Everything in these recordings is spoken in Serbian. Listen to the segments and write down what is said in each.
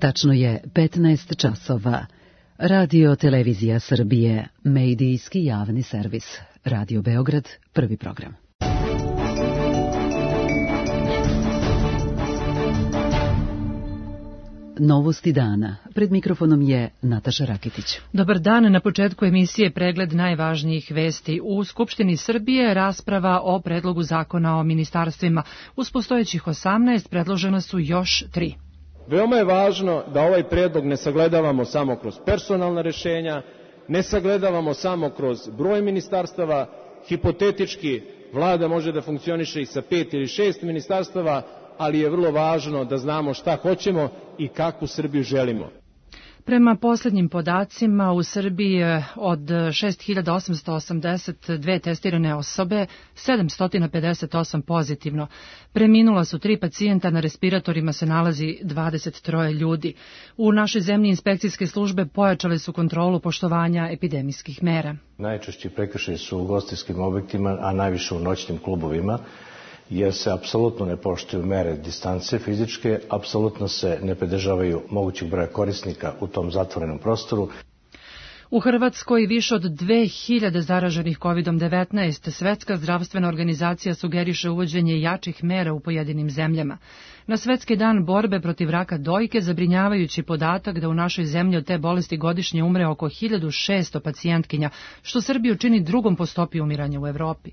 Tačno je 15 časova. Radio Televizija Srbije, medijski javni servis. Radio Beograd, prvi program. Novosti dana. Pred mikrofonom je Nataša Rakitić. Dobar dan. Na početku emisije pregled najvažnijih vesti. U Skupštini Srbije rasprava o predlogu zakona o ministarstvima. Uz postojećih 18 predložena su još 3. Veoma je važno da ovaj predlog ne sagledavamo samo kroz personalna rešenja, ne sagledavamo samo kroz broj ministarstava. Hipotetički vlada može da funkcioniše i sa 5 ili 6 ministarstava, ali je vrlo važno da znamo šta hoćemo i kakvu Srbiju želimo. Prema posljednjim podacima u Srbiji od 6.882 testirane osobe, 758 pozitivno. Preminula su 3 pacijenta, na respiratorima se nalazi 23 ljudi. U našoj zemlji inspekcijske službe pojačale su kontrolu poštovanja epidemijskih mera. Najčešći prekršaji su u ugostiteljskim objektima, a najviše u noćnim klubovima, jer se apsolutno ne poštuju mere distance fizičke, apsolutno se ne pridržavaju mogućeg broja korisnika u tom zatvorenom prostoru. U Hrvatskoj više od 2000 zaraženih COVID-19. Svetska zdravstvena organizacija sugeriše uvođenje jačih mera u pojedinim zemljama. Na Svetski dan borbe protiv raka dojke zabrinjavajući podatak da u našoj zemlji od te bolesti godišnje umre oko 1600 pacijentkinja, što Srbiju čini drugom po stopi umiranja u Evropi.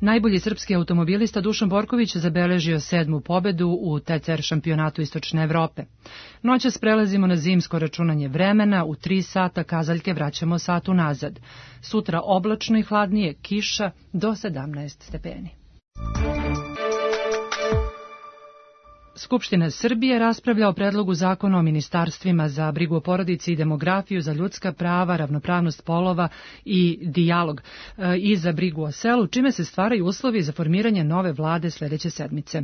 Najbolji srpski automobilista Dušan Borković zabeležio 7. pobedu u TCR šampionatu Istočne Evrope. Noćas prelazimo na zimsko računanje vremena, u 3 sata kazaljke vraćamo sat unazad. Sutra oblačno i hladnije, kiša do 17 stepeni. Skupština Srbije raspravlja o predlogu zakona o ministarstvima za brigu o porodici i demografiju, za ljudska prava, ravnopravnost polova i dijalog i za brigu o selu, čime se stvaraju uslovi za formiranje nove vlade sljedeće sedmice.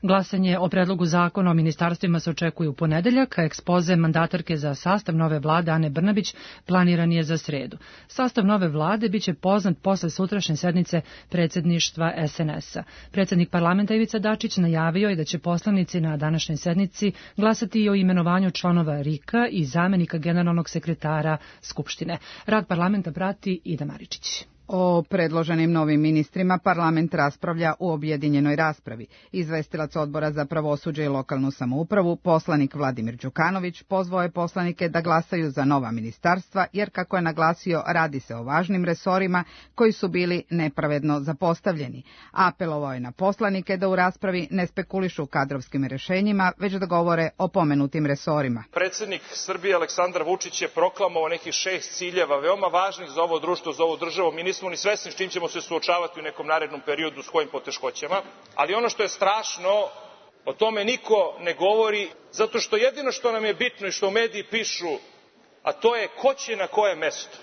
Glasanje o predlogu zakona o ministarstvima se očekuje u ponedeljak, a ekspoze mandatarke za sastav nove vlade Ane Brnabić planiran je za sredu. Sastav nove vlade biće poznat posle sutrašnje sednice predsjedništva SNS-a. Predsjednik parlamenta Ivica Dačić najavio je da će poslanici na današnjoj sednici glasati i o imenovanju članova RIK-a i zamenika generalnog sekretara Skupštine. Rad parlamenta prati Ida Maričić. O predloženim novim ministrima parlament raspravlja u objedinjenoj raspravi. Izvestilac Odbora za pravosuđe i lokalnu samoupravu, poslanik Vladimir Đukanović, pozvao je poslanike da glasaju za nova ministarstva, jer kako je naglasio, radi se o važnim resorima koji su bili nepravedno zapostavljeni. Apelovao je na poslanike da u raspravi ne spekulišu kadrovskim rešenjima, već da govore o pomenutim resorima. Predsjednik Srbije Aleksandar Vučić je proklamovao nekih 6 ciljeva, veoma važnih za ovo društvo, za ovu državu. Mi nismo ni svesni s čim ćemo se suočavati u nekom narednom periodu, s kojim poteškoćama, ali ono što je strašno, o tome niko ne govori, zato što jedino što nam je bitno i što u mediji pišu, a to je ko će na koje mesto.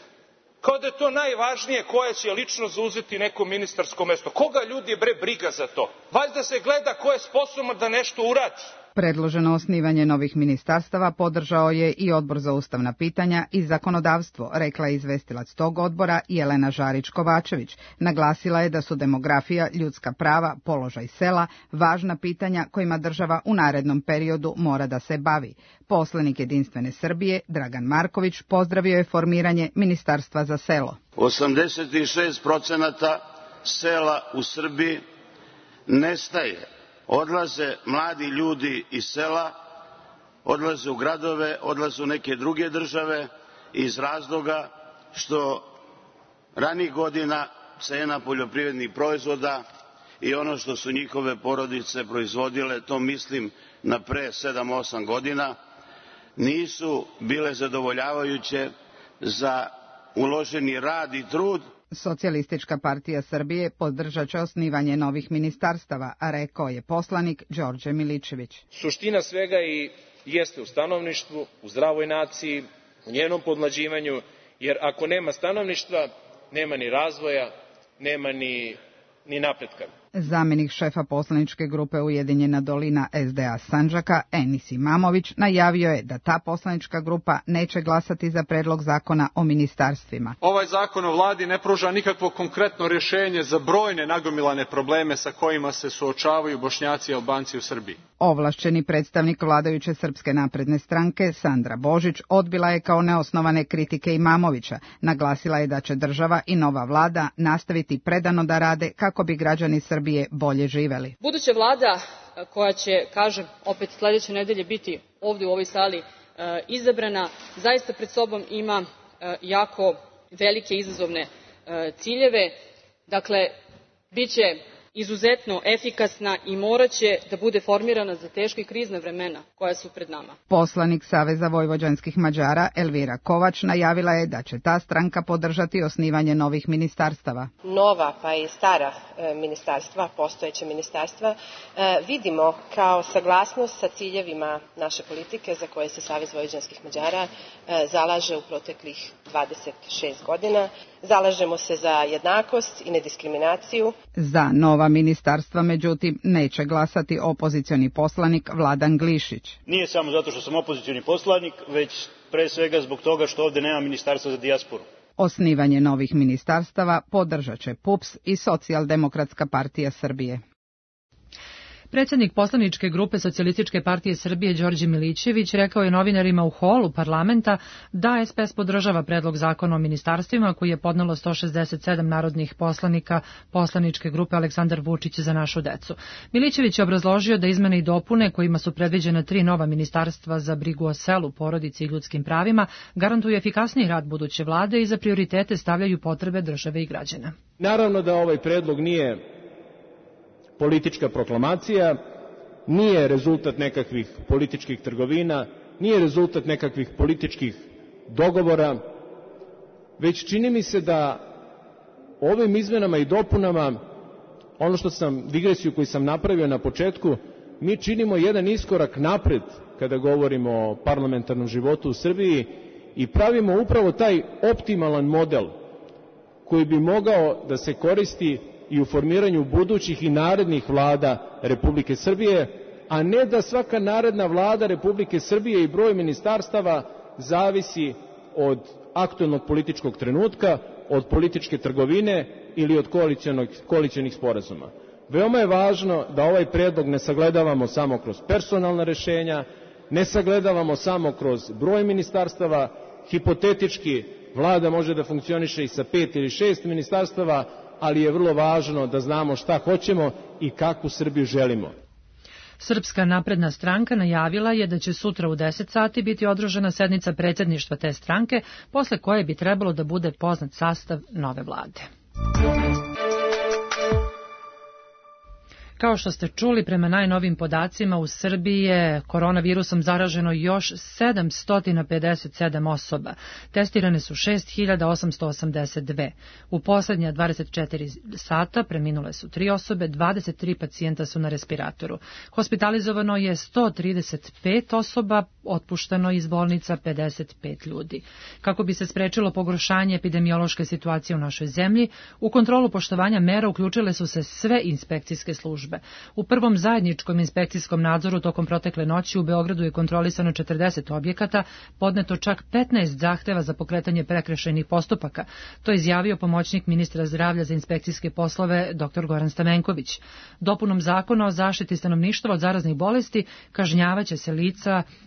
Kao da je to najvažnije, koja će lično zauzeti neko ministarsko mesto. Koga ljudi je briga za to? Valjda se gleda ko je sposoban da nešto uradi. Predloženo osnivanje novih ministarstava podržao je i Odbor za ustavna pitanja i zakonodavstvo, rekla je izvestilac tog odbora Jelena Žarić-Kovačević. Naglasila je da su demografija, ljudska prava, položaj sela važna pitanja kojima država u narednom periodu mora da se bavi. Poslanik Jedinstvene Srbije, Dragan Marković, pozdravio je formiranje Ministarstva za selo. 86% sela u Srbiji nestaje. Odlaze mladi ljudi iz sela, odlaze u gradove, odlaze u neke druge države iz razloga što ranijih godina cena poljoprivrednih proizvoda i ono što su njihove porodice proizvodile, to mislim na pre 7-8 godina, nisu bile zadovoljavajuće za uloženi rad i trud. Socijalistička partija Srbije podržat će osnivanje novih ministarstava, a rekao je poslanik Đorđe Miličević. Suština svega i jeste u stanovništvu, u zdravoj naciji, u njenom podmlađivanju, jer ako nema stanovništva, nema ni razvoja, nema ni napretka. Zamjenik šefa poslaničke grupe Ujedinjena dolina SDA Sandžaka, Enis Imamović, najavio je da ta poslanička grupa neće glasati za predlog zakona o ministarstvima. Ovaj zakon o vladi ne pruža nikakvo konkretno rješenje za brojne nagomilane probleme sa kojima se suočavaju Bošnjaci i Albanci u Srbiji. Ovlašćeni predstavnik vladajuće Srpske napredne stranke, Sandra Božić, odbila je kao neosnovane kritike Imamovića. Naglasila je da će država i nova vlada nastaviti predano da rade kako bi građani Srbije bolje živeli. Buduća vlada koja će, kažem, opet sledeće nedelje biti ovdje u ovoj sali izabrana, zaista pred sobom ima jako velike izazovne ciljeve. Dakle, biće izuzetno efikasna i moraće da bude formirana za teška i krizna vremena koja su pred nama. Poslanik Saveza vojvođanskih Mađara Elvira Kovač najavila je da će ta stranka podržati osnivanje novih ministarstava. Nova pa i stara ministarstva, postojeća ministarstva, vidimo kao saglasnost sa ciljevima naše politike za koje se Savez vojvođanskih Mađara zalaže u proteklih 26 godina. Zalažemo se za jednakost i nediskriminaciju. Za nova ministarstva, međutim, neće glasati opozicioni poslanik Vladan Glišić. Nije samo zato što sam opozicioni poslanik, već pre svega zbog toga što ovdje nema ministarstva za dijasporu. Osnivanje novih ministarstava podržat će PUPS i Socijaldemokratska partija Srbije. Predsjednik poslaničke grupe Socijalističke partije Srbije Đorđe Milićević rekao je novinarima u holu parlamenta da SPS podržava predlog zakona o ministarstvima koji je podnelo 167 narodnih poslanika poslaničke grupe Aleksandar Vučić za našu decu. Milićević je obrazložio da izmene i dopune kojima su predviđena 3 nova ministarstva za brigu o selu, porodici i ljudskim pravima garantuju efikasniji rad buduće vlade i za prioritete stavljaju potrebe države i građana. Naravno da ovaj predlog nije politička proklamacija, nije rezultat nekakvih političkih trgovina, nije rezultat nekakvih političkih dogovora, već čini mi se da ovim izmenama i dopunama, ono što digresiju koju sam napravio na početku, mi činimo jedan iskorak napred kada govorimo o parlamentarnom životu u Srbiji i pravimo upravo taj optimalan model koji bi mogao da se koristi i u formiranju budućih i narednih vlada Republike Srbije, a ne da svaka naredna vlada Republike Srbije i broj ministarstava zavisi od aktuelnog političkog trenutka, od političke trgovine ili od koalicionih sporazuma. Veoma je važno da ovaj predlog ne sagledavamo samo kroz personalna rešenja, ne sagledavamo samo kroz broj ministarstava, hipotetički vlada može da funkcioniše i sa 5 ili 6 ministarstava, ali je vrlo važno da znamo šta hoćemo i kakvu Srbiju želimo. Srpska napredna stranka najavila je da će sutra u 10 sati biti održana sednica predsjedništva te stranke, posle koje bi trebalo da bude poznat sastav nove vlade. Kao što ste čuli, prema najnovim podacima u Srbiji je koronavirusom zaraženo još 757 osoba. Testirane su 6882. U posljednja 24 sata preminule su 3 osobe, 23 pacijenta su na respiratoru. Hospitalizovano je 135 osoba, otpušteno iz bolnica 55 ljudi. Kako bi se sprečilo pogoršanje epidemiološke situacije u našoj zemlji, u kontrolu poštovanja mera uključile su se sve inspekcijske službe. U prvom zajedničkom inspekcijskom nadzoru tokom protekle noći u Beogradu je kontrolisano 40 objekata, podneto čak 15 zahteva za pokretanje prekršajnih postupaka. To je izjavio pomoćnik ministra zdravlja za inspekcijske poslove dr. Goran Stamenković. Dopunom zakona o zaštiti stanovništva od zaraznih bolesti kažnjavaće se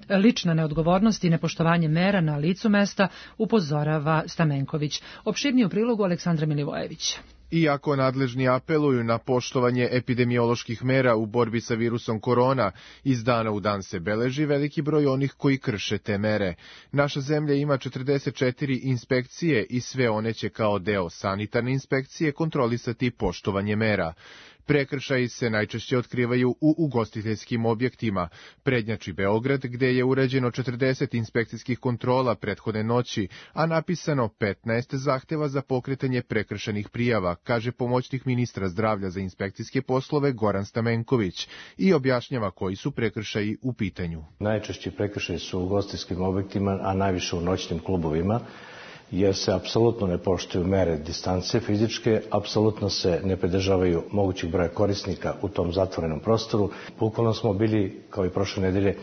lična neodgovornost i nepoštovanje mera na licu mesta, upozorava Stamenković. Opširnije u prilogu Aleksandra Milivojevića. Iako nadležni apeluju na poštovanje epidemioloških mera u borbi sa virusom korona, iz dana u dan se beleži veliki broj onih koji krše te mere. Naša zemlja ima 44 inspekcije i sve one će kao deo sanitarne inspekcije kontrolisati poštovanje mera. Prekršaji se najčešće otkrivaju u ugostiteljskim objektima. Prednjači Beograd, gde je urađeno 40 inspekcijskih kontrola prethodne noći, a napisano 15 zahteva za pokretanje prekršajnih prijava, kaže pomoćnik ministra zdravlja za inspekcijske poslove Goran Stamenković i objašnjava koji su prekršaji u pitanju. Najčešći prekršaji su u ugostiteljskim objektima, a najviše u noćnim klubovima, jer se apsolutno ne poštuju mere distance fizičke, apsolutno se ne pridržavaju mogućih broja korisnika u tom zatvorenom prostoru. Bukvalno smo bili, kao i prošle nedelje,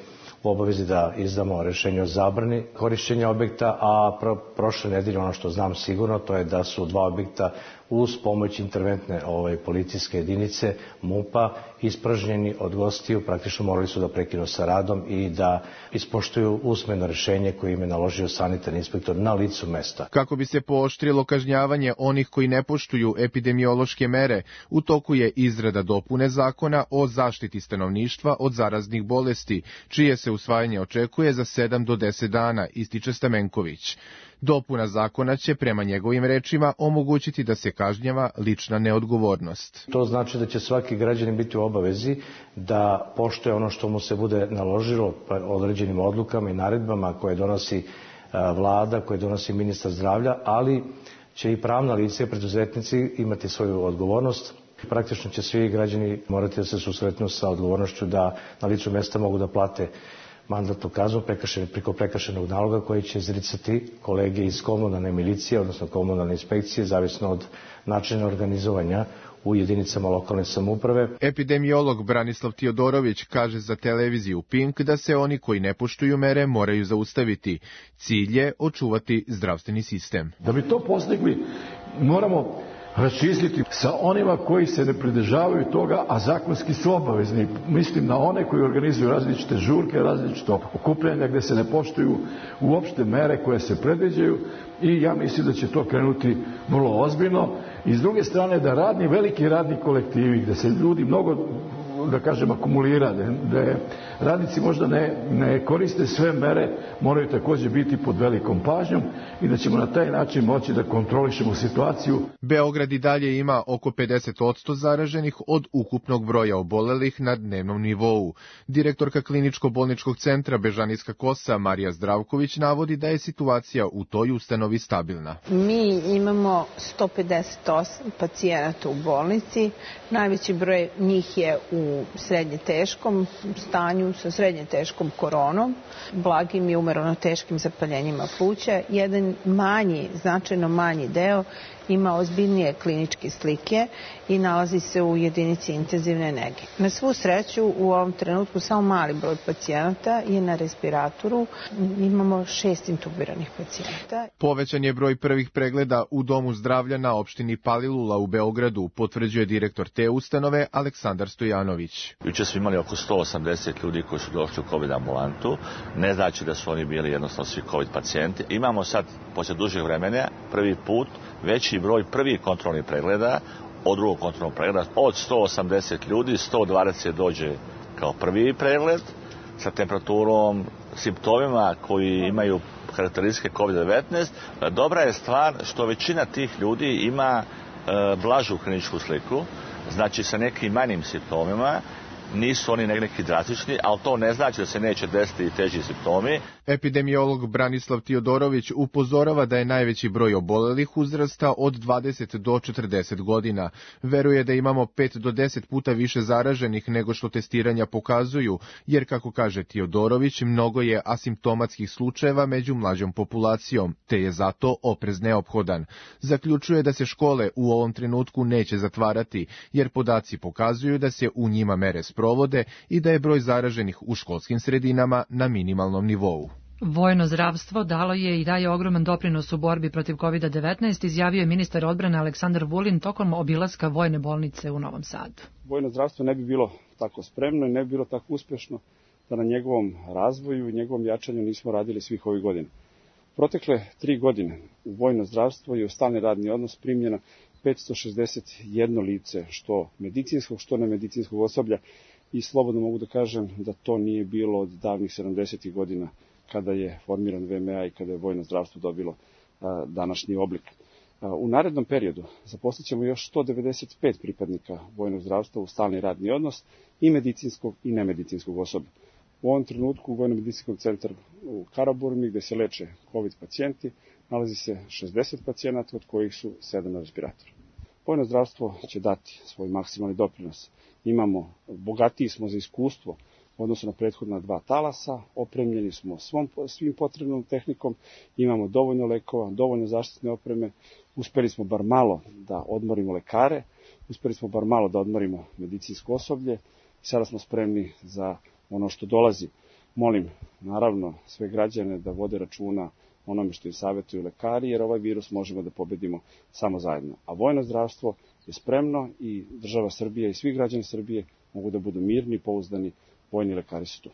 u obavezi da izdamo rešenje o zabrani korišćenja objekta, a prošle nedelje ono što znam sigurno to je da su 2 objekta uz pomoć interventne policijske jedinice MUP-a ispražnjeni od gostiju, praktično morali su da prekinu sa radom i da ispoštuju usmeno rešenje koje im je naložio sanitarni inspektor na licu mesta. Kako bi se pooštrilo kažnjavanje onih koji ne poštuju epidemiološke mere, u toku je izrada dopune zakona o zaštiti stanovništva od zaraznih bolesti, čije se usvajanje očekuje za 7 do 10 dana, ističe Stamenković. Dopuna zakona će, prema njegovim rečima, omogućiti da se kažnjava lična neodgovornost. To znači da će svaki građanin biti u obavezi da poštuje ono što mu se bude naložilo određenim odlukama i naredbama koje donosi vlada, koje donosi ministar zdravlja, ali će i pravna lica i preduzetnici imati svoju odgovornost. Praktično će svi građani morati da se susretnu sa odgovornošću da na licu mesta mogu da plate mandatnu kaznu preko prekršajnog naloga koji će izricati kolege iz komunalne milicije, odnosno komunalne inspekcije, zavisno od načina organizovanja u jedinicama lokalne samouprave. Epidemiolog Branislav Tiodorović kaže za televiziju Pink da se oni koji ne poštuju mere moraju zaustaviti. Cilj je očuvati zdravstveni sistem. Da bi to postigli, moramo raščistiti sa onima koji se ne pridržavaju toga, a zakonski su obavezni. Mislim na one koji organizuju različite žurke, različite okupljanja gde se ne poštuju uopšte mere koje se predviđaju i ja mislim da će to krenuti vrlo ozbiljno. I s druge strane da veliki radni kolektivi gde se ljudi mnogo, da kažem, akumulira, da radnici možda ne koriste sve mere, moraju također biti pod velikom pažnjom i da ćemo na taj način moći da kontrolišemo situaciju. Beograd i dalje ima oko 50% zaraženih od ukupnog broja obolelih na dnevnom nivou. Direktorka kliničko-bolničkog centra Bežanijska Kosa Marija Zdravković navodi da je situacija u toj ustanovi stabilna. Mi imamo 158 pacijenata u bolnici, najveći broj njih je u srednje teškom stanju sa srednje teškom koronom, blagim i umjereno teškim zapaljenjima pluća. Jedan značajno manji deo ima ozbiljnije kliničke slike i nalazi se u jedinici intenzivne nege. Na svu sreću u ovom trenutku samo mali broj pacijenata je na respiratoru. Imamo 6 intubiranih pacijenata. Povećan je broj prvih pregleda u Domu zdravlja na opštini Palilula u Beogradu, potvrđuje direktor te ustanove Aleksandar Stojanović. Juče smo imali oko 180 ljudi koji su došli u COVID ambulantu. Ne znači da su oni bili jednostavno svi COVID pacijenti. Imamo sad, poslije dužeg vremena, prvi put veći broj prvih kontrolnih pregleda od drugog kontrolnog pregleda. Od 180 ljudi, 120 dođe kao prvi pregled sa temperaturom, simptomima koji imaju karakteristike COVID-19. Dobra je stvar što većina tih ljudi ima blažu kliničku sliku, znači sa nekim manjim simptomima. Nisu oni neki drastični, ali to ne znači da se neće desiti i teži simptomi. Epidemiolog Branislav Tiodorović upozorava da je najveći broj obolelih uzrasta od 20 do 40 godina. Veruje da imamo 5 do 10 puta više zaraženih nego što testiranja pokazuju, jer, kako kaže Tiodorović, mnogo je asimptomatskih slučajeva među mlađom populacijom, te je zato oprez neophodan. Zaključuje da se škole u ovom trenutku neće zatvarati, jer podaci pokazuju da se u njima mere sprovode i da je broj zaraženih u školskim sredinama na minimalnom nivou. Vojno zdravstvo dalo je i daje ogroman doprinos u borbi protiv COVID-19, izjavio je ministar odbrane Aleksandar Vulin tokom obilaska vojne bolnice u Novom Sadu. Vojno zdravstvo ne bi bilo tako spremno i ne bi bilo tako uspješno da na njegovom razvoju i njegovom jačanju nismo radili svih ovih godina. Protekle 3 godine u vojno zdravstvo je u stalni radni odnos primljeno 561 lice, što medicinskog, što nemedicinskog osoblja, i slobodno mogu da kažem da to nije bilo od davnih 70. godina kada je formiran VMA i kada je vojno zdravstvo dobilo današnji oblik. U narednom periodu zaposlit ćemo još 195 pripadnika vojnog zdravstva u stalni radni odnos i medicinskog i nemedicinskog osoblja. U ovom trenutku u Vojno-medicinskog centru u Karaburmi, gde se leče COVID pacijenti, nalazi se 60 pacijenata, od kojih su 7 na respiratoru. Vojno zdravstvo će dati svoj maksimalni doprinos. Bogatiji smo za iskustvo u odnosu na prethodna 2 talasa, opremljeni smo svim potrebnom tehnikom, imamo dovoljno lekova, dovoljno zaštitne opreme, uspeli smo bar malo da odmorimo lekare, uspeli smo bar malo da odmorimo medicinsko osoblje i sada smo spremni za ono što dolazi. Molim, naravno, sve građane da vode računa onome što im savjetuju lekari, jer ovaj virus možemo da pobedimo samo zajedno. A vojno zdravstvo je spremno i država Srbija i svi građani Srbije mogu da budu mirni i pouzdani, vojni lekari su tu.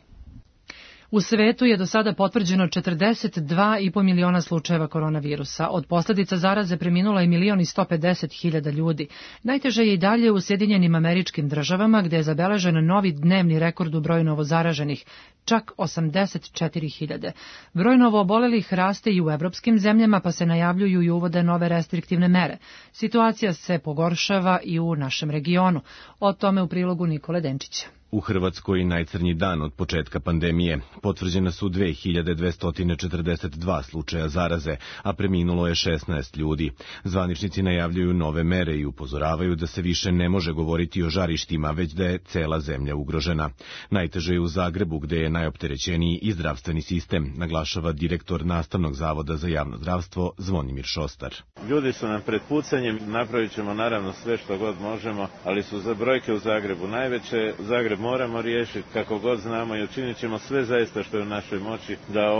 U svetu je do sada potvrđeno 42,5 miliona slučajeva koronavirusa. Od posljedica zaraze preminulo je 1.150.000 ljudi. Najteže je i dalje u Sjedinjenim Američkim Državama, gde je zabeležen novi dnevni rekord u broju novozaraženih, čak 84.000. Broj novoobolelih raste i u evropskim zemljama, pa se najavljuju i uvode nove restriktivne mere. Situacija se pogoršava i u našem regionu. O tome u prilogu Nikole Denčića. U Hrvatskoj najcrnji dan od početka pandemije. Potvrđena su 2242 slučaja zaraze, a preminulo je 16 ljudi. Zvaničnici najavljuju nove mere i upozoravaju da se više ne može govoriti o žarištima, već da je cela zemlja ugrožena. Najteže je u Zagrebu, gde je najopterećeniji i zdravstveni sistem, naglašava direktor Nastavnog zavoda za javno zdravstvo Zvonimir Šostar. Ljudi su nam pred pucanjem, napravit ćemo naravno sve što god možemo, ali su za brojke u Zagrebu najveće. Zagreb moramo riješiti kako god znamo i učinit ćemo sve zaista što je u našoj moći da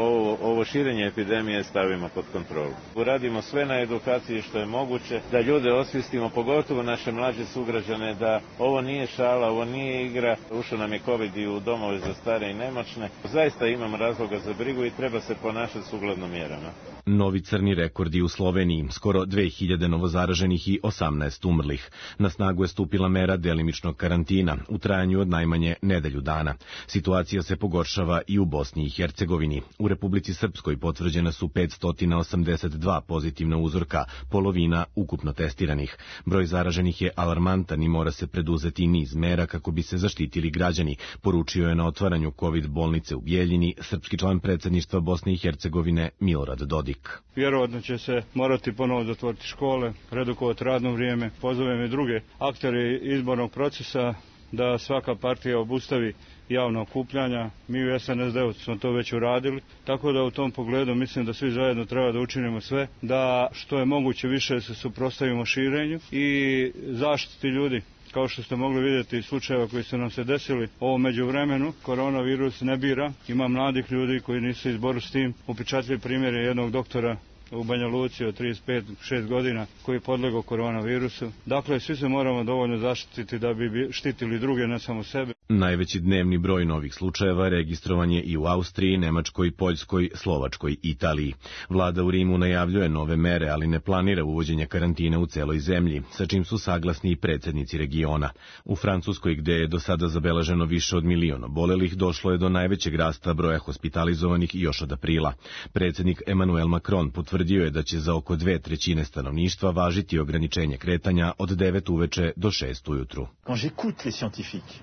ovo širenje epidemije stavimo pod kontrolu. Uradimo sve na edukaciji što je moguće, da ljude osvijestimo, pogotovo naše mlađe sugrađane, da ovo nije šala, ovo nije igra. Ušao nam je COVID i u domove za stare i nemoćne. Zaista imamo razloga za brigu i treba se ponašati sukladno mjerama. Novi crni rekordi u Sloveniji, skoro 2000 novozaraženih i 18 umrlih. Na snagu je stupila mera delimičnog karantina u trajanju od najmanje nedelju dana. Situacija se pogoršava i u Bosni i Hercegovini. U Republici Srpskoj potvrđena su 582 pozitivna uzorka, polovina ukupno testiranih. Broj zaraženih je alarmantan i mora se preduzeti niz mera kako bi se zaštitili građani, poručio je na otvaranju COVID bolnice u Bijeljini srpski član predsjedništva Bosne i Hercegovine Milorad Dodik. Vjerovatno će se morati ponovo zatvoriti škole, redukovati radno vrijeme. Pozovem i druge aktere izbornog procesa da svaka partija obustavi javna okupljanja. Mi u SNSD-u smo to već uradili, tako da u tom pogledu mislim da svi zajedno treba da učinimo sve, da što je moguće više se suprotstavimo širenju i zaštiti ljudi. Kao što ste mogli vidjeti slučajeva koji su nam se desili ovo međuvremenu, koronavirus ne bira. Ima mladih ljudi koji nisu izboru s tim. Upečatljiv primjer je jednog doktora u Banja Luci od 35-6 godina koji je podlegao koronavirusu. Dakle, svi se moramo dovoljno zaštititi da bi štitili druge, ne samo sebe. Najveći dnevni broj novih slučajeva registrovan je i u Austriji, Nemačkoj, Poljskoj, Slovačkoj i Italiji. Vlada u Rimu najavljuje nove mere, ali ne planira uvođenje karantine u celoj zemlji, sa čim su saglasni i predsjednici regiona. U Francuskoj, gde je do sada zabeleženo više od 1 milion obolelih, došlo je do najvećeg rasta broja hospitalizovanih još od aprila. Predsjednik Emmanuel Macron potvrdio je da će za oko 2/3 stanovništva važiti ograničenje kretanja od 9 uveče do 6 ujutru.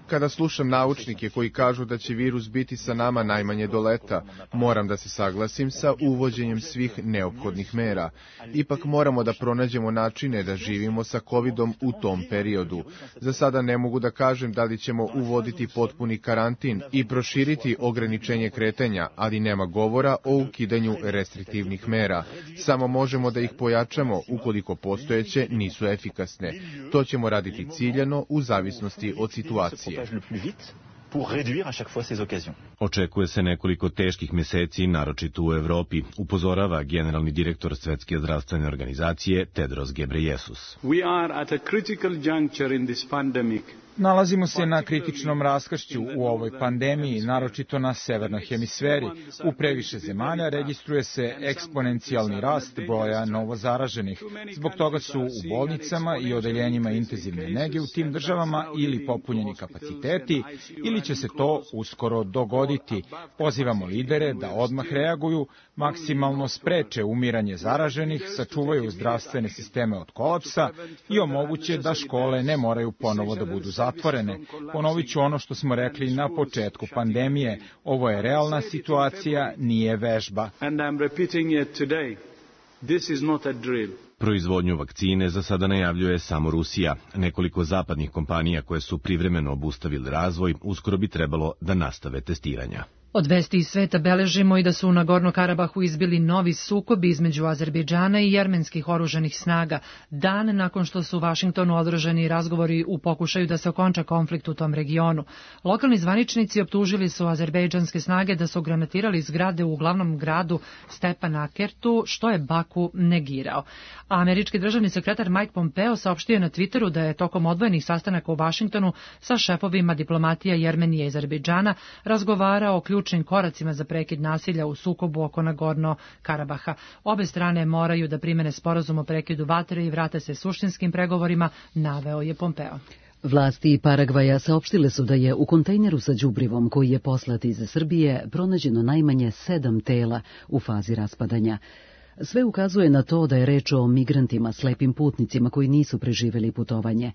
Kada slušam naučnike koji kažu da će virus biti sa nama najmanje do leta, moram da se saglasim sa uvođenjem svih neophodnih mera. Ipak moramo da pronađemo načine da živimo sa COVID-om u tom periodu. Za sada ne mogu da kažem da li ćemo uvoditi potpuni karantin i proširiti ograničenje kretanja, ali nema govora o ukidanju restriktivnih mera. Samo možemo da ih pojačamo ukoliko postojeće nisu efikasne. To ćemo raditi ciljano u zavisnosti od situacije. Očekuje se nekoliko teških meseci, naročito u Evropi, upozorava generalni direktor Svetske zdravstvene organizacije Tedros Ghebreyesus. Nalazimo se na kritičnom raskršću u ovoj pandemiji, naročito na severnoj hemisferi. U previše zemalja registruje se eksponencijalni rast broja novozaraženih. Zbog toga su u bolnicama i odeljenjima intenzivne nege u tim državama ili popunjeni kapaciteti, ili će se to uskoro dogoditi. Pozivamo lidere da odmah reaguju, maksimalno spreče umiranje zaraženih, sačuvaju zdravstvene sisteme od kolapsa i omoguće da škole ne moraju ponovo da budu zatvorene. Ponovit ću ono što smo rekli na početku pandemije. Ovo je realna situacija, nije vežba. Proizvodnju vakcine za sada najavljuje samo Rusija. Nekoliko zapadnih kompanija koje su privremeno obustavili razvoj uskoro bi trebalo da nastave testiranja. Od vesti iz sveta beležimo i da su u Nagorno-Karabahu izbili novi sukobi između Azerbejdžana i jermenskih oružanih snaga, dan nakon što su u Vašingtonu održani razgovori u pokušaju da se okonča konflikt u tom regionu. Lokalni zvaničnici optužili su azerbejdžanske snage da su granatirali zgrade u glavnom gradu Stepanakertu, što je Baku negirao. A američki državni sekretar Mike Pompeo saopštio je na Twitteru da je tokom odvojenih sastanaka u Vašingtonu sa šefovima diplomatija Jermenije i Azerbejdžana razgovarao o ključnim koracima za prekid nasilja u sukobu oko Nagorno-Karabaha. Obe strane moraju da primene sporazum o prekidu vatre i vrate se suštinskim pregovorima, naveo je Pompeo. Vlasti Paragvaja saopštile su da je u kontejneru sa đubrivom koji je poslat iz Srbije pronađeno najmanje 7 tela u fazi raspadanja. Sve ukazuje na to da je reč o migrantima, slepim putnicima koji nisu preživeli putovanje.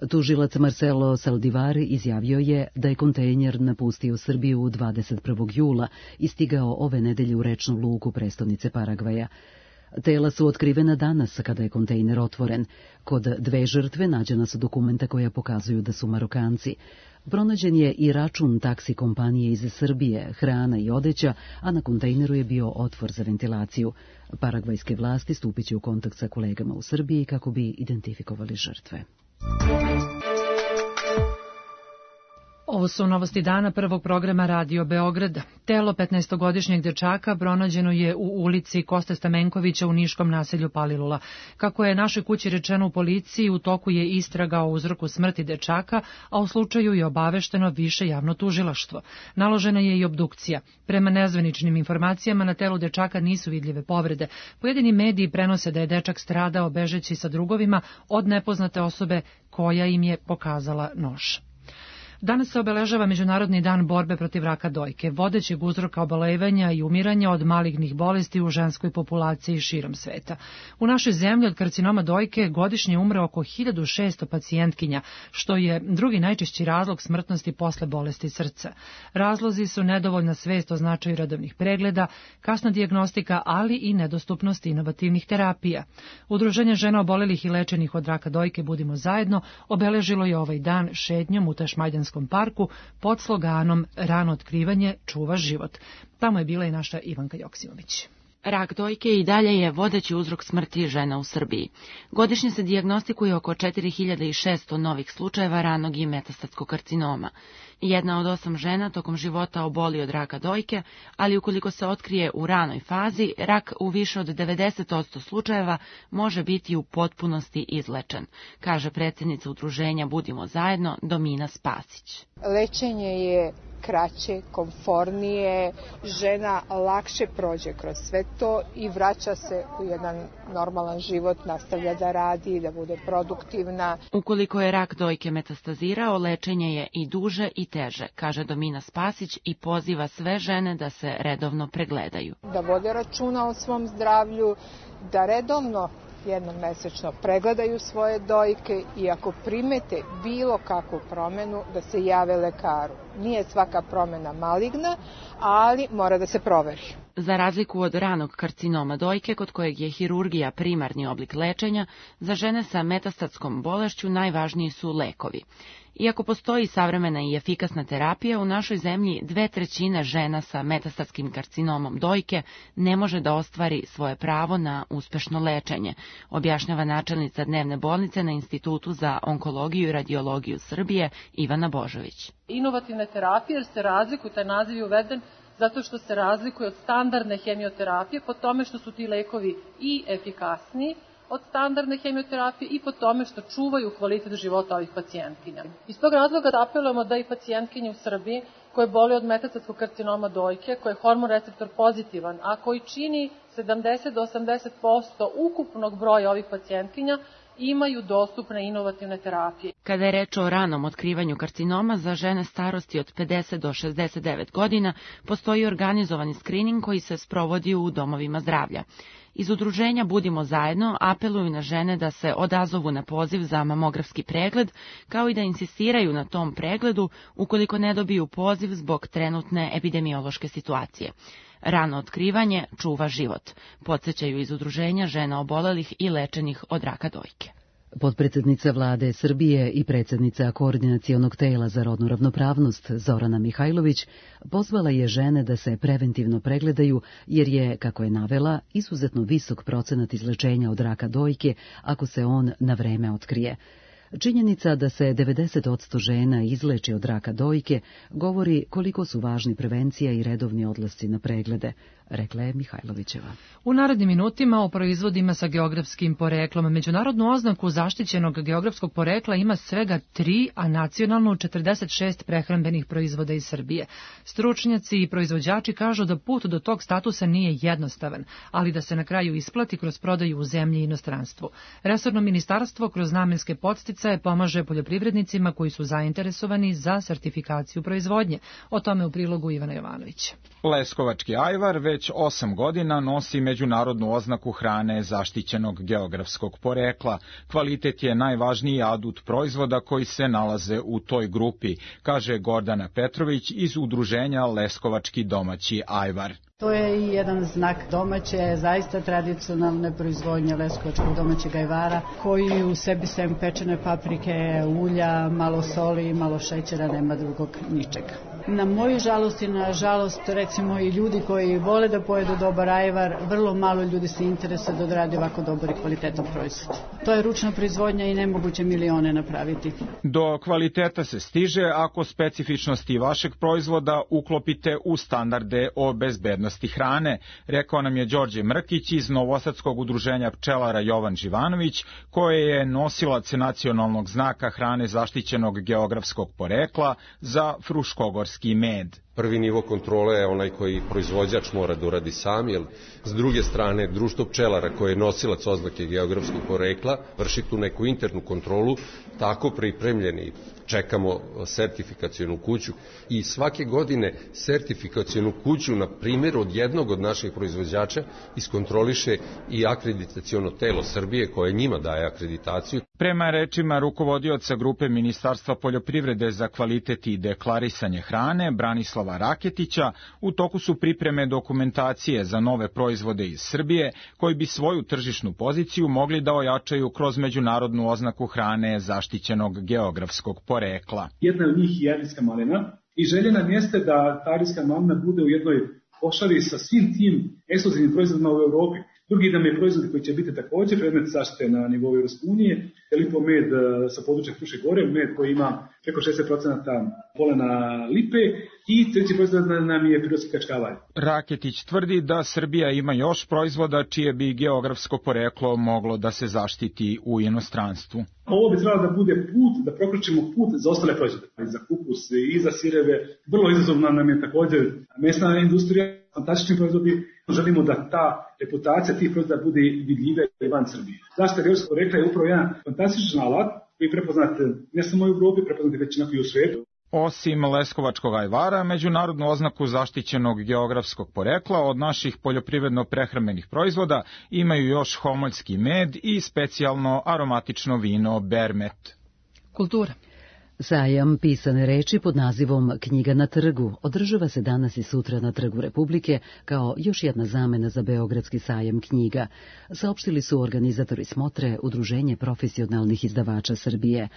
Tužilac Marcelo Saldivar izjavio je da je kontejner napustio Srbiju 21. jula i stigao ove nedelje u rečnu luku prestonice Paragvaja. Tela su otkrivena danas kada je kontejner otvoren. Kod 2 žrtve nađena su dokumenta koja pokazuju da su Marokanci. Pronađen je i račun taksi kompanije iz Srbije, hrana i odeća, a na kontejneru je bio otvor za ventilaciju. Paragvajske vlasti stupit će u kontakt sa kolegama u Srbiji kako bi identifikovali žrtve. Ovo su novosti dana prvog programa Radio Beograd. Telo 15-godišnjeg dečaka pronađeno je u ulici Koste Stamenkovića u niškom naselju Palilula. Kako je našoj kući rečeno u policiji, u toku je istraga o uzroku smrti dečaka, a u slučaju je obavešteno više javno tužilaštvo. Naložena je i obdukcija. Prema nezvaničnim informacijama na telu dečaka nisu vidljive povrede. Pojedini mediji prenose da je dečak stradao bežeći sa drugovima od nepoznate osobe koja im je pokazala nož. Danas se obeležava Međunarodni dan borbe protiv raka dojke, vodećeg uzroka oboljevanja i umiranja od malignih bolesti u ženskoj populaciji širom sveta. U našoj zemlji od karcinoma dojke godišnje umre oko 1600 pacijentkinja, što je drugi najčešći razlog smrtnosti posle bolesti srca. Razlozi su nedovoljna svest o značaju redovnih pregleda, kasna dijagnostika, ali i nedostupnost inovativnih terapija. Udruženje žena obolelih i lečenih od raka dojke Budimo zajedno obeležilo je ovaj dan šetnjom u Tašmajdanskom parku pod sloganom Rano otkrivanje čuva život. Tamo je bila i naša Ivanka Joksimović. Rak dojke i dalje je vodeći uzrok smrti žena u Srbiji. Godišnje se dijagnostikuje oko 4600 novih slučajeva ranog i metastatskog karcinoma. 1 od 8 žena tokom života oboli od raka dojke, ali ukoliko se otkrije u ranoj fazi, rak u više od 90% slučajeva može biti u potpunosti izlečen, kaže predsjednica udruženja Budimo zajedno Domina Spasić. Lečenje je kraće, komfornije, žena lakše prođe kroz sve to i vraća se u jedan normalan život, nastavlja da radi, da bude produktivna. Ukoliko je rak dojke metastazirao, lečenje je i duže i teže, kaže Domina Spasić i poziva sve žene da se redovno pregledaju. Da vode računa o svom zdravlju, da redovno jednom mesečno pregledaju svoje dojke i ako primete bilo kakvu promenu da se jave lekaru. Nije svaka promena maligna, ali mora da se proveri. Za razliku od ranog karcinoma dojke, kod kojeg je hirurgija primarni oblik lečenja, za žene sa metastatskom bolešću najvažniji su lekovi. Iako postoji savremena i efikasna terapija, u našoj zemlji 2/3 žena sa metastatskim karcinomom dojke ne može da ostvari svoje pravo na uspešno lečenje, objašnjava načelnica dnevne bolnice na Institutu za onkologiju i radiologiju Srbije Ivana Božović. Inovativne terapije, jer se razlikuju, taj naziv je uveden zato što se razlikuje od standardne hemioterapije po tome što su ti lekovi i efikasniji od standardne hemioterapije i po tome što čuvaju kvalitet života ovih pacijentkinja. Iz tog razloga apelujemo da i pacijentkinje u Srbiji koje boli od metastatskog karcinoma dojke, koji je hormon receptor pozitivan, a koji čini 70 do 80% ukupnog broja ovih pacijentkinja, imaju dostupne inovativne terapije. Kada je reč o ranom otkrivanju karcinoma, za žene starosti od 50 do 69 godina postoji organizovani skrining koji se sprovodi u domovima zdravlja. Iz udruženja Budimo zajedno apeluju na žene da se odazovu na poziv za mamografski pregled, kao i da insistiraju na tom pregledu ukoliko ne dobiju poziv zbog trenutne epidemiološke situacije. Rano otkrivanje čuva život, podsjećaju iz udruženja žena obolelih i lečenih od raka dojke. Potpredsednica vlade Srbije i predsjednica Koordinacionog tela za rodnu ravnopravnost Zorana Mihajlović pozvala je žene da se preventivno pregledaju jer je, kako je navela, izuzetno visok procenat izlečenja od raka dojke ako se on na vreme otkrije. Činjenica da se 90% žena izleči od raka dojke govori koliko su važni prevencija i redovni odlasci na preglede, rekla je Mihajlovićeva. U narednim minutima o proizvodima sa geografskim poreklom. Međunarodnu oznaku zaštićenog geografskog porekla ima svega 3, a nacionalno 46 prehrambenih proizvoda iz Srbije. Stručnjaci i proizvođači kažu da put do tog statusa nije jednostavan, ali da se na kraju isplati kroz prodaju u zemlji i inostranstvu. Resorno ministarstvo kroz namenske podsticaje pomaže poljoprivrednicima koji su zainteresovani za sertifikaciju proizvodnje. O tome u prilogu Ivana Jovanovića. Leskovački ajvar već 8 godina nosi međunarodnu oznaku hrane zaštićenog geografskog porekla. Kvalitet je najvažniji adut proizvoda koji se nalaze u toj grupi, kaže Gordana Petrović iz udruženja Leskovački domaći ajvar. To je i jedan znak domaće, zaista tradicionalne proizvodnje leskovačkog domaćeg ajvara, koji u sebi sem pečene paprike, ulja, malo soli, malo šećera, nema drugog ničega. Na moju žalost i na žalost, recimo, i ljudi koji vole da pojedu dobar ajvar, vrlo malo ljudi se interesuje da odradi ovako dobar i kvalitetan proizvod. To je ručna proizvodnja i nemoguće milione napraviti. Do kvaliteta se stiže ako specifičnosti vašeg proizvoda uklopite u standarde o bezbednosti hrane, rekao nam je Đorđe Mrkić iz Novosadskog udruženja pčelara Jovan Živanović, koje je nosilac nacionalnog znaka hrane zaštićenog geografskog porekla za fruškogorski med. Prvi nivo kontrole je onaj koji proizvođač mora da uradi sam, jer s druge strane društvo pčelara koje je nosilac oznake geografskog porekla vrši tu neku internu kontrolu, tako pripremljeni. Čekamo sertifikacionu kuću i svake godine sertifikacionu kuću na primjer od jednog od naših proizvođača iskontroliše i akreditaciono telo Srbije koje njima daje akreditaciju. Prema rečima rukovodioca grupe Ministarstva poljoprivrede za kvalitet i deklarisanje hrane Branislava Raketića, u toku su pripreme dokumentacije za nove proizvode iz Srbije koji bi svoju tržišnu poziciju mogli da ojačaju kroz međunarodnu oznaku hrane zaštićenog geografskog porekla. Jedna od njih je arijska malina i želja nam jeste da ta arijska malina bude u jednoj košari sa svim tim ekskluzivnim proizvodima u Evropi. Drugi nam je proizvod koji će biti također predmet zaštite na nivou Evropske unije, lipo med sa područja Fruše Gore, med koji ima preko 60% polena lipe i treći proizvod nam je prirodski kačkavalj. Raketić tvrdi da Srbija ima još proizvoda čije bi geografsko poreklo moglo da se zaštiti u inostranstvu. Ovo bi trebalo da bude put, da prokročimo put za ostale proizvode, za kupus i za sireve. Vrlo izazovna nam je također mesna industrija, fantastični proizvodi. Želimo da ta reputacija tih proizvoda bude vidljiva i van Srbije. Zaštita geografskog porekla je upravo jedan fantastičan alat koji je prepoznat ne samo u Evropi, prepoznat već i u svijetu. Osim leskovačkog ajvara, međunarodnu oznaku zaštićenog geografskog porekla od naših poljoprivredno-prehrambenih proizvoda imaju još homoljski med i specijalno aromatično vino Bermet. Kultura. Sajam pisane reči pod nazivom Knjiga na trgu održava se danas i sutra na Trgu Republike kao još jedna zamena za Beogradski sajam knjiga, saopštili su organizatori smotre Udruženje profesionalnih izdavača Srbije.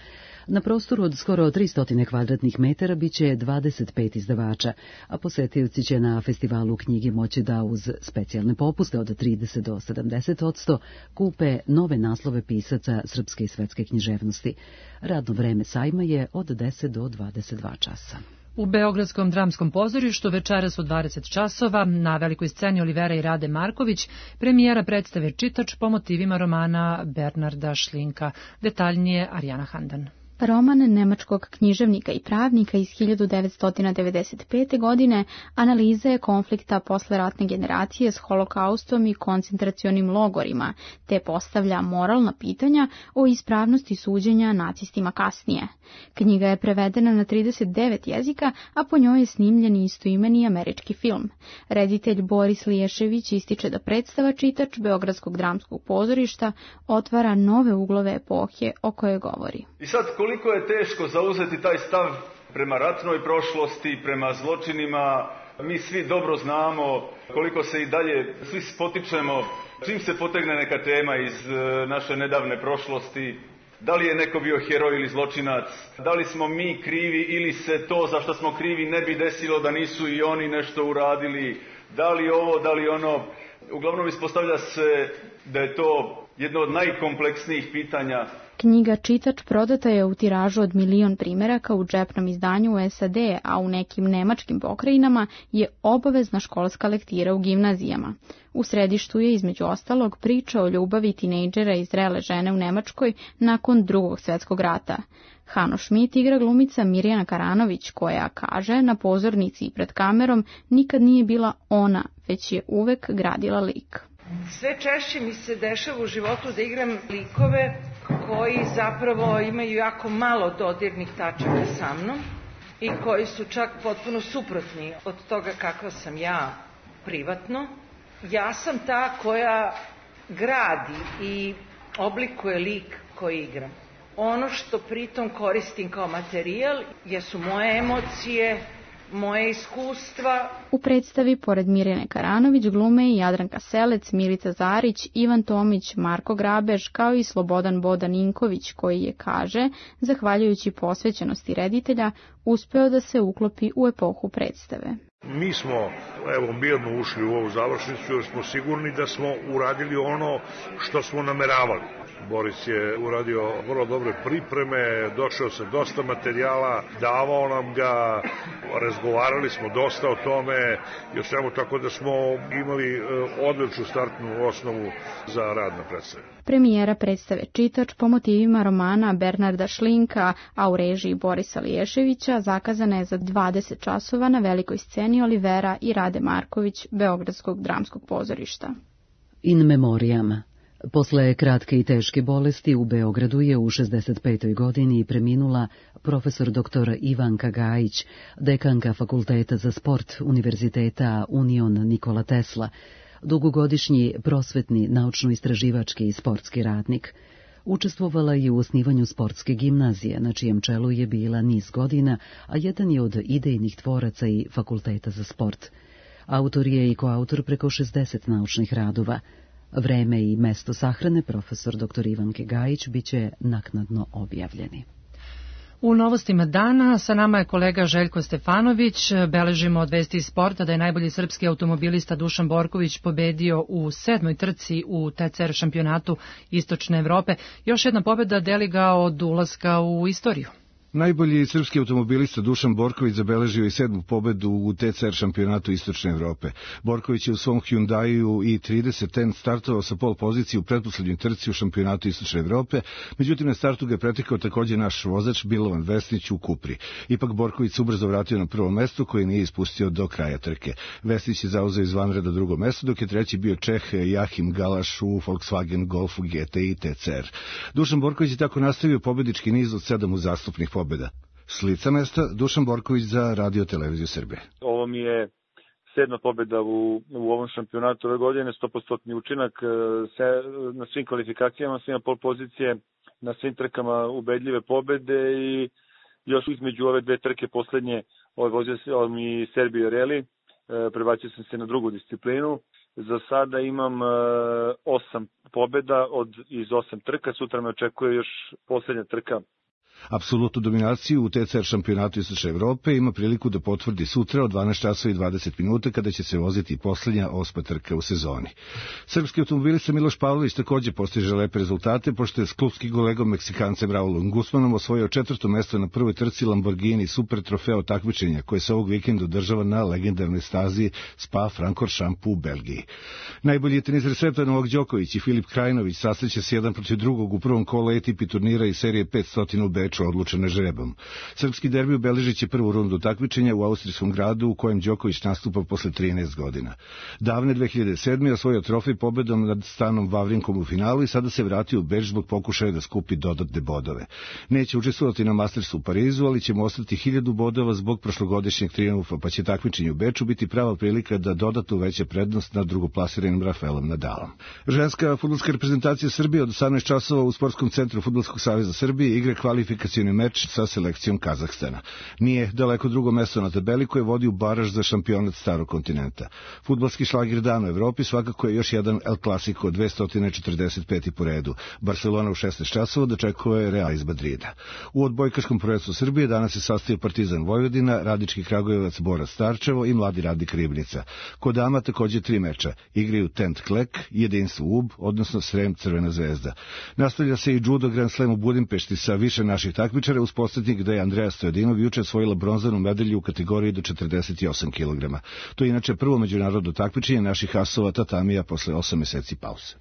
Na prostoru od skoro 300 kvadratnih metara biće 25 izdavača, a posetioci će na festivalu knjige moći da uz specijalne popuste od 30 do 70% kupe nove naslove pisaca srpske i svetske književnosti. Radno vreme sajma je od 10 do 22 časa. U Beogradskom dramskom pozorištu večeras u 20 časova na velikoj sceni Olivera i Rade Marković premijera predstave Čitač po motivima romana Bernarda Šlinka. Detaljnije Arijana Handan. Roman nemačkog književnika i pravnika iz 1995. godine analiza je konflikta posleratne generacije s holokaustom i koncentracionim logorima, te postavlja moralna pitanja o ispravnosti suđenja nacistima kasnije. Knjiga je prevedena na 39 jezika, a po njoj je snimljen istoimeni američki film. Reditelj Boris Liješević ističe da predstava Čitač Beogradskog dramskog pozorišta otvara nove uglove epohe o kojoj govori. I sad, koliko je teško zauzeti taj stav prema ratnoj prošlosti, prema zločinima, mi svi dobro znamo koliko se i dalje svi spotičemo, čim se potegne neka tema iz naše nedavne prošlosti, da li je neko bio heroj ili zločinac, da li smo mi krivi ili se to za što smo krivi ne bi desilo da nisu i oni nešto uradili, da li ovo, da li ono. Uglavnom ispostavlja se da je to jedno od najkompleksnijih pitanja. Knjiga Čitač prodata je u tiražu od 1.000.000 primjeraka u džepnom izdanju u SAD, a u nekim nemačkim pokrajinama je obavezna školska lektira u gimnazijama. U središtu je između ostalog priča o ljubavi tinejdžera i zrele žene u Nemačkoj nakon Drugog svjetskog rata. Hano Schmidt igra glumica Mirjana Karanović, koja kaže na pozornici i pred kamerom nikad nije bila ona, već je uvek gradila lik. Sve češće mi se dešava u životu da igram likove koji zapravo imaju jako malo dodirnih tačaka sa mnom i koji su čak potpuno suprotni od toga kakva sam ja privatno. Ja sam ta koja gradi i oblikuje lik koji igram. Ono što pritom koristim kao materijal jesu moje emocije, moje iskustva. U predstavi, pored Mirjane Karanović, glume i Jadranka Selec, Milica Zarić, Ivan Tomić, Marko Grabež, kao i Slobodan Bodan Inković, koji je, kaže, zahvaljujući posvećenosti reditelja, uspeo da se uklopi u epohu predstave. Mi smo, mirno ušli u ovu završnicu jer smo sigurni da smo uradili ono što smo nameravali. Boris je uradio vrlo dobre pripreme, došao sa dosta materijala, davao nam ga, razgovarali smo dosta o tome i o svemu, tako da smo imali odličnu startnu osnovu za rad na predstavi. Premijera predstave Čitač po motivima romana Bernarda Šlinka, a u režiji Borisa Liješevića, zakazana je za 20 časova na velikoj sceni Olivera i Rade Marković Beogradskog dramskog pozorišta. In memoriam. Posle kratke i teške bolesti u Beogradu je u 65. godini preminula profesor dr. Ivanka Gajić, dekanka Fakulteta za sport Univerziteta Union Nikola Tesla, dugogodišnji prosvetni, naučno-istraživački i sportski radnik. Učestvovala je u osnivanju sportske gimnazije, na čijem čelu je bila niz godina, a jedan je od idejnih tvoraca i Fakulteta za sport. Autor je i koautor preko 60 naučnih radova. Vreme i mesto sahrane profesor dr. Ivanke Gajić biće naknadno objavljeni. U novostima dana sa nama je kolega Željko Stefanović. Beležimo od vesti iz sporta da je najbolji srpski automobilista Dušan Borković pobedio u 7. trci u TCR šampionatu Istočne Evrope. Još jedna pobjeda deli ga od ulaska u istoriju. Najbolji srpski automobilista Dušan Borković zabeležio i 7. pobedu u TCR šampionatu Istočne Evrope. Borković je u svom Hyundaiu i30N startovao sa pol pozicije u pretposlednjoj trci u šampionatu Istočne Evrope, međutim na startu ga je pretekao također naš vozač Milovan Vesnić u Kupri. Ipak Borković se ubrzo vratio na prvo mesto koje nije ispustio do kraja trke. Vesnić je zauzeo izvanreda drugo mesto, dok je treći bio Čeh Jahim Galaš u Volkswagen Golfu GTI TCR. Dušan Borković je tako nastavio pobednički niz od 7 uzastopnih pobjeda. S lica mesta, Dušan Borković za Radio Televiziju Srbije. Ovo mi je 7. pobjeda u ovom šampionatu ove godine, 100% učinak na svim kvalifikacijama, svima pol pozicije, na svim trkama ubedljive pobjede i još između ove dve trke poslednje vozio mi Serbio Rally, prebacio sam se na drugu disciplinu. Za sada imam 8 pobjeda iz 8 trka, sutra me očekuje još posljednja trka. Apsolutnu dominaciju u TCR šampionatu Istočne Evrope ima priliku da potvrdi sutra od 12 časova i 20 minuta kada će se voziti posljednja 8. trka u sezoni. Srpski automobilista Miloš Pavlović također postiže lepe rezultate, pošto je s klubskim kolegom Meksikancem Raulom Guzmanom osvojio 4. mesto na prvoj trci Lamborghini Super trofeo takmičenja koje se ovog vikenda održava na legendarnoj stazi Spa-Francorchamps u Belgiji. Najbolji teniser sveta Novak Đoković i Filip Krajinović sasreće se jedan protiv drugog u prvom kolu ATP turnira iz serije 500 u meču odlučene žrebom. Srpski derbi obeležit će prvu rundu takmičenja u austrijskom gradu u kojem Đoković nastupa posle 13 godina. Davne 2007. osvojio trofej pobedom nad Stanom Wawrinkom u finalu i sada se vratio u Beč zbog pokušaja da skupi dodatne bodove. Neće učestvovati na Mastersu u Parizu, ali će mu ostati 1000 bodova zbog prošlogodišnjeg trijumfa, pa će takmičenje u Beču biti prava prilika da dodatno uveća prednost nad drugoplasiranim Rafaelom Nadalom. Ženska fudbalska reprezentacija Srbije od 18 časova u Sportskom centru Fudbalskog saveza Srbije igra kvalifikacioni meč sa selekcijom Kazahstana. Nije daleko drugo mesto na tabeli koje vodi u baraž za šampionat starog kontinenta. Fudbalski šlagir dana u Evropi svakako je još jedan El Clasico 245. po redu. Barcelona u 16 časova dočekuje Real iz Madrida. U odbojkaškom prvenstvu Srbije danas se sastoji Partizan Vojvodina, Radnički Kragujevac Borac Starčevo i Mladi Radnik Ribnica. Kod dama također 3 meča. Igraju Tent Klek, Jedinstvo UB, odnosno Srem Crvena zvezda. Nastavlja se i judo Grand Slam u Budimpešti sa više naših takmičara, uz podsjetnik da je Andreja Stojadinov juče osvojila bronzanu medalju u kategoriji do 48 kg. To je inače prvo međunarodno takmičenje naših asova tatamija posle 8 meseci pauze.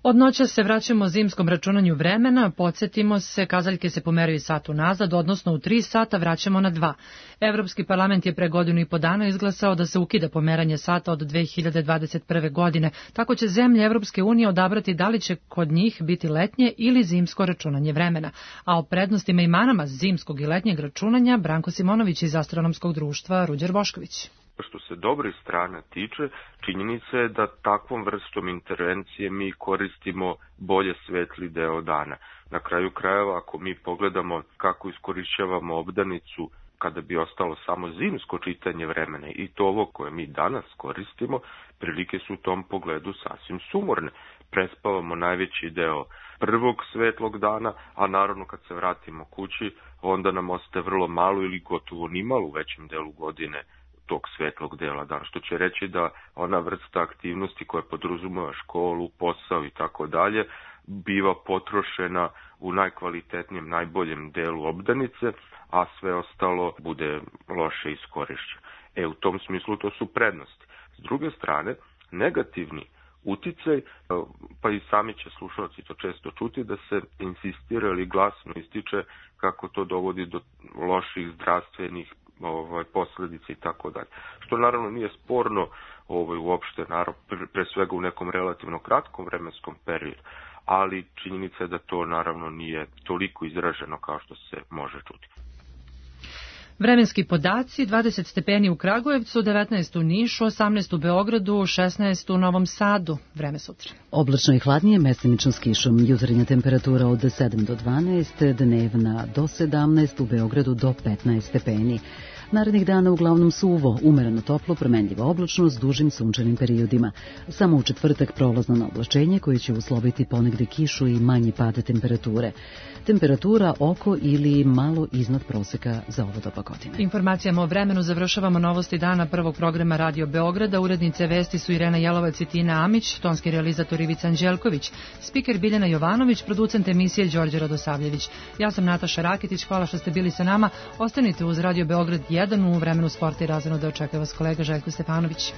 Od noća se vraćamo zimskom računanju vremena, podsjetimo se, kazaljke se pomeraju sat unazad, odnosno u 3 sata vraćamo na 2. Evropski parlament je pre godinu i po dana izglasao da se ukida pomeranje sata od 2021. godine, tako će zemlje Evropske unije odabrati da li će kod njih biti letnje ili zimsko računanje vremena. A o prednostima i manama zimskog i letnjeg računanja Branko Simonović iz Astronomskog društva Ruđer Bošković. Što se dobrih strana tiče, činjenica je da takvom vrstom intervencije mi koristimo bolje svetli deo dana. Na kraju krajeva, ako mi pogledamo kako iskorišćavamo obdanicu kada bi ostalo samo zimsko čitanje vremena i to ovo koje mi danas koristimo, prilike su u tom pogledu sasvim sumorne. Prespavamo najveći deo prvog svetlog dana, a naravno kad se vratimo kući, onda nam ostaje vrlo malo ili gotovo nimalo u većem delu godine tog svetlog dela dana, što će reći da ona vrsta aktivnosti koja podrazumeva školu, posao i tako dalje, biva potrošena u najkvalitetnijem, najboljem delu obdanice, a sve ostalo bude loše iskorišćeno. U tom smislu to su prednosti. S druge strane, negativni uticaj, pa i sami će slušalci to često čuti, da se insistira ili glasno ističe kako to dovodi do loših zdravstvenih posledice i tako dalje. Što naravno nije sporno uopšte, pre svega u nekom relativno kratkom vremenskom periodu, ali činjenica je da to naravno nije toliko izraženo kao što se može čuti. Vremenski podaci: 20 stepeni u Kragujevcu, 19 u Nišu, 18 u Beogradu, 16 u Novom Sadu. Vreme sutra. Oblačno i hladnije, mestimično s kišom. Jutarnja temperatura od 7 do 12, dnevna do 17, u Beogradu do 15 stepeni. Narednih dana uglavnom suvo, umereno toplo, promenljiva oblačnost s dužim sunčanim periodima. Samo u četvrtak prolazno na oblačenje koje će usloviti ponegde kišu i manji pad temperature. Temperatura oko ili malo iznad proseka za ovo doba godine. Informacijama o vremenu završavamo novosti dana prvog programa Radio Beograda. Urednice vesti su Irena Jelovac i Tina Amić, tonski realizator Ivica Anđelković, spiker Biljana Jovanović, producent emisije Đorđe Radosavljević. Ja sam Nataša Rakitić, hvala što ste bili sa nama. Ostanite uz Radio Beograd 1 u vremenu sporta i razvojno da očekuje vas kolega Željko Stefanović.